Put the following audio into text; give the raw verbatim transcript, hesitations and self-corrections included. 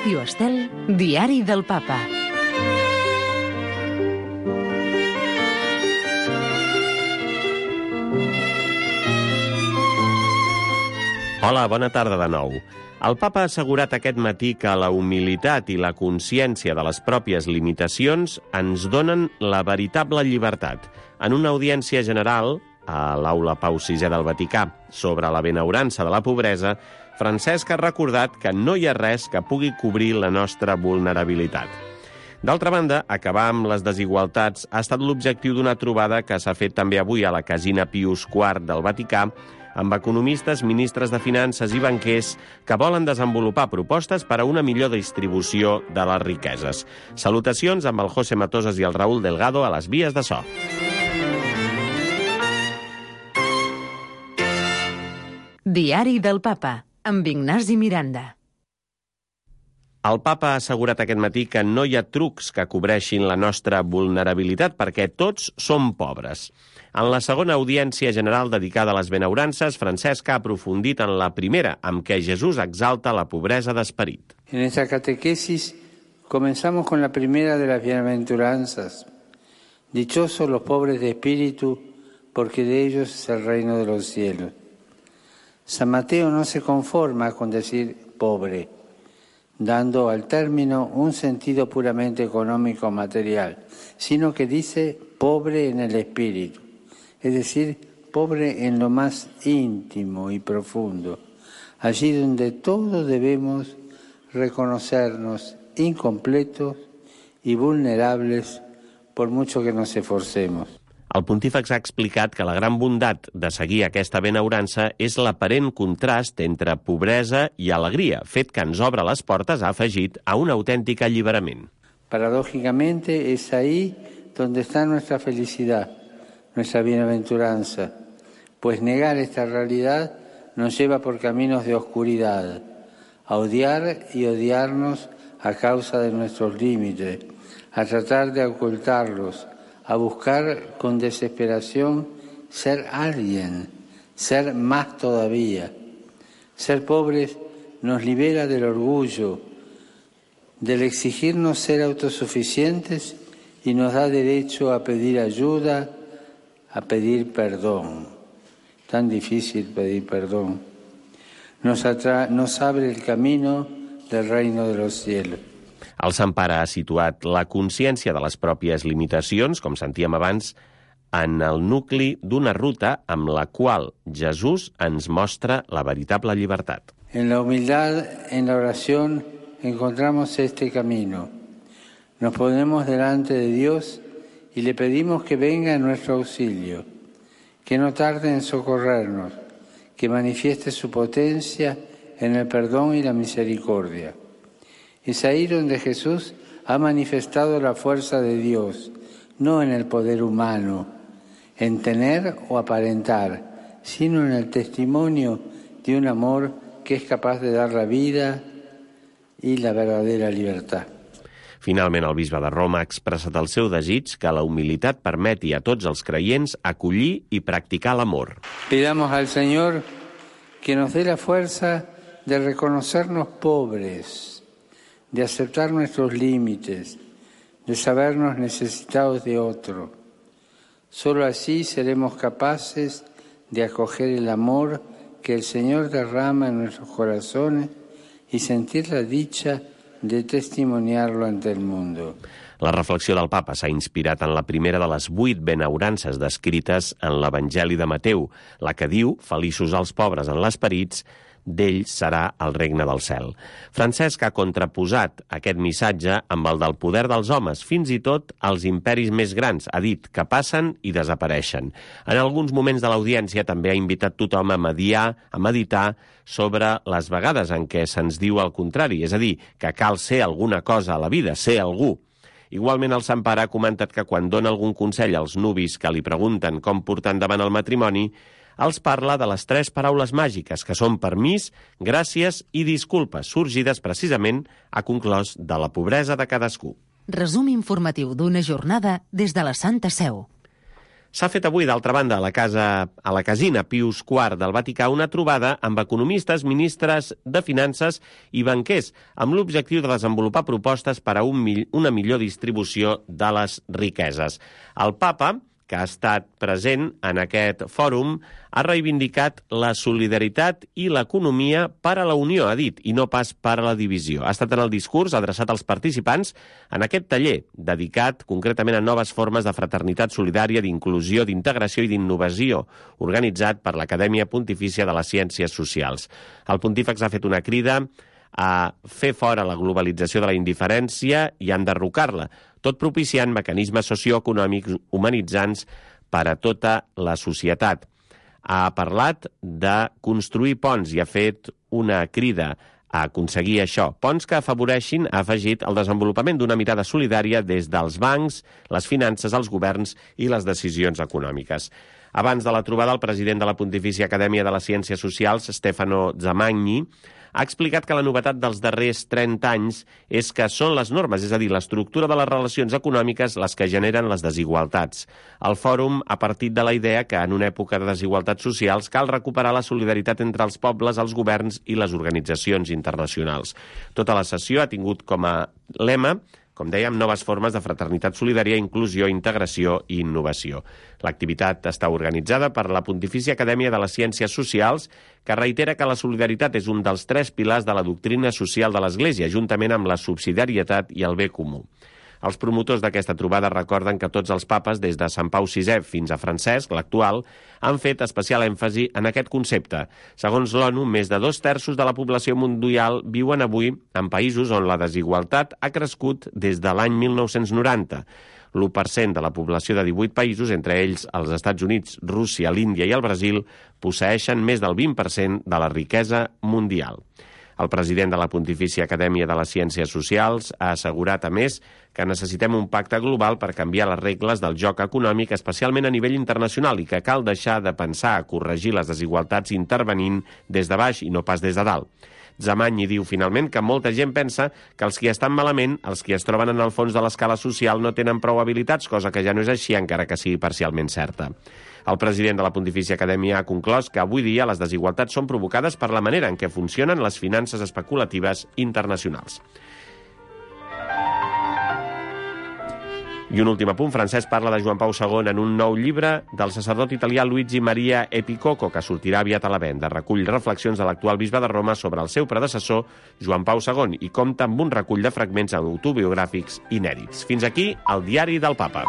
Ràdio Estel, Diari del Papa. Hola, bona tarda de nou. El papa ha assegurat aquest matí que la humilitat i la consciència de les pròpies limitacions ens donen la veritable llibertat. En una audiència general, a l'aula Pau sisè del Vaticà, sobre la benaurança de la pobresa, Francesc ha recordat que no hi ha res que pugui cobrir la nostra vulnerabilitat. D'altra banda, acabar amb les desigualtats ha estat l'objectiu d'una trobada que s'ha fet també avui a la Casina Pius quart del Vaticà, amb economistes, ministres de finances i banquers que volen desenvolupar propostes per a una millor distribució de les riqueses. Salutacions amb el José Matosas i el Raúl Delgado a les vies de so. Diari del Papa, amb Ignasi Miranda. El papa ha assegurat aquest matí que no hi ha trucs que cobreixin la nostra vulnerabilitat perquè tots som pobres. En la segona audiència general dedicada a les benaurances, Francesc ha aprofundit en la primera, amb què Jesús exalta la pobresa d'esperit. En esta catequesis comenzamos con la primera de las bienaventuranzas. Dichosos los pobres de espíritu, porque de ellos es el reino de los cielos. San Mateo no se conforma con decir pobre, dando al término un sentido puramente económico material, sino que dice pobre en el espíritu, es decir, pobre en lo más íntimo y profundo, allí donde todos debemos reconocernos incompletos y vulnerables por mucho que nos esforcemos. El pontífex ha explicat que la gran bondat de seguir aquesta benaurança és l'aparent contrast entre pobresa i alegria, fet que ens obre les portes, ha afegit, a un autèntic alliberament. Paradójicamente es ahí donde está nuestra felicidad, nuestra bienaventuranza, pues negar esta realidad nos lleva por caminos de oscuridad, a odiar y odiarnos a causa de nuestros límites, a tratar de ocultarlos, a buscar con desesperación ser alguien, ser más todavía. Ser pobres nos libera del orgullo, del exigirnos ser autosuficientes y nos da derecho a pedir ayuda, a pedir perdón. Tan difícil pedir perdón. Nos, atra- nos abre el camino del reino de los cielos. El Sant Pare ha situat la consciència de les pròpies limitacions, com sentíem abans, en el nucli d'una ruta amb la qual Jesús ens mostra la veritable llibertat. En la humildad, en la oración, encontramos este camino. Nos ponemos delante de Dios y le pedimos que venga en nuestro auxilio, que no tarde en socorrernos, que manifieste su potencia en el perdón y la misericordia. Es ahí donde Jesús ha manifestado la fuerza de Dios, no en el poder humano, en tener o aparentar, sino en el testimonio de un amor que es capaz de dar la vida y la verdadera libertad. Finalment, el bisbe de Roma ha expressat el seu desig que la humilitat permeti a tots els creients acollir i practicar l'amor. Pidamos al Señor que nos dé la fuerza de reconocernos pobres, de aceptar nuestros límites, de sabernos necesitados de otro. Solo así seremos capaces de acoger el amor que el Señor derrama en nuestros corazones y sentir la dicha de testimoniarlo ante el mundo. La reflexió del papa s'ha inspirat en la primera de les vuit benaurances descrites en l'Evangeli de Mateu, la que diu, feliços els pobres en l'esperit, d'ells serà el regne del cel. Francesc ha contraposat aquest missatge amb el del poder dels homes, fins i tot els imperis més grans, ha dit que passen i desapareixen. En alguns moments de l'audiència també ha invitat tothom a mediar, a meditar sobre les vegades en què se'ns diu el contrari, és a dir, que cal ser alguna cosa a la vida, ser algú. Igualment, el Sant Pare ha comentat que quan dona algun consell als nuvis que li pregunten com portar endavant el matrimoni, els parla de les tres paraules màgiques, que són permís, gràcies i disculpes, sorgides precisament, ha conclòs, de la pobresa de cadascú. Resum informatiu d'una jornada des de la Santa Seu. S'ha fet avui, d'altra banda, a la, casa, a la casina Pius quart del Vaticà una trobada amb economistes, ministres de finances i banquers, amb l'objectiu de desenvolupar propostes per a un, una millor distribució de les riqueses. El papa, que ha estat present en aquest fòrum, ha reivindicat la solidaritat i l'economia per a la unió, ha dit, i no pas per a la divisió. Ha estat en el discurs adreçat als participants en aquest taller, dedicat concretament a noves formes de fraternitat solidària, d'inclusió, d'integració i d'innovació, organitzat per l'Acadèmia Pontifícia de les Ciències Socials. El pontífex ha fet una crida a fer fora la globalització de la indiferència i a enderrocar-la, tot propiciant mecanismes socioeconòmics humanitzants per a tota la societat. Ha parlat de construir ponts i ha fet una crida a aconseguir això. Ponts que afavoreixin, ha afegit, el desenvolupament d'una mirada solidària des dels bancs, les finances, els governs i les decisions econòmiques. Abans de la trobada, el president de la Pontifícia Acadèmia de les Ciències Socials, Stefano Zamagni, ha explicat que la novetat dels darrers trenta anys és que són les normes, és a dir, l'estructura de les relacions econòmiques les que generen les desigualtats. El fòrum ha partit de la idea que en una època de desigualtats socials cal recuperar la solidaritat entre els pobles, els governs i les organitzacions internacionals. Tota la sessió ha tingut com a lema, com dèiem, noves formes de fraternitat solidària, inclusió, integració i innovació. L'activitat està organitzada per la Pontifícia Acadèmia de les Ciències Socials, que reitera que la solidaritat és un dels tres pilars de la doctrina social de l'Església, juntament amb la subsidiarietat i el bé comú. Els promotors d'aquesta trobada recorden que tots els papes, des de Sant Pau sisè fins a Francesc, l'actual, han fet especial èmfasi en aquest concepte. Segons l'ONU, més de dos terços de la població mundial viuen avui en països on la desigualtat ha crescut des de l'any mil nou-cents noranta. L'u per cent de la població de divuit països, entre ells els Estats Units, Rússia, l'Índia i el Brasil, posseeixen més del vint per cent de la riquesa mundial. El president de la Pontifícia Acadèmia de les Ciències Socials ha assegurat, a més, que necessitem un pacte global per canviar les regles del joc econòmic, especialment a nivell internacional, i que cal deixar de pensar a corregir les desigualtats intervenint des de baix i no pas des de dalt. Zamagni diu, finalment, que molta gent pensa que els qui estan malament, els qui es troben en el fons de l'escala social, no tenen prou habilitats, cosa que ja no és així, encara que sigui parcialment certa. El president de la Pontifícia Acadèmia ha conclòs que avui dia les desigualtats són provocades per la manera en què funcionen les finances especulatives internacionals. I un últim apunt, Francesc parla de Joan Pau segon en un nou llibre del sacerdot italià Luigi Maria Epicoco, que sortirà aviat a la venda. Recull reflexions de l'actual bisbe de Roma sobre el seu predecessor, Joan Pau segon, i compta amb un recull de fragments autobiogràfics inèdits. Fins aquí el Diari del Papa.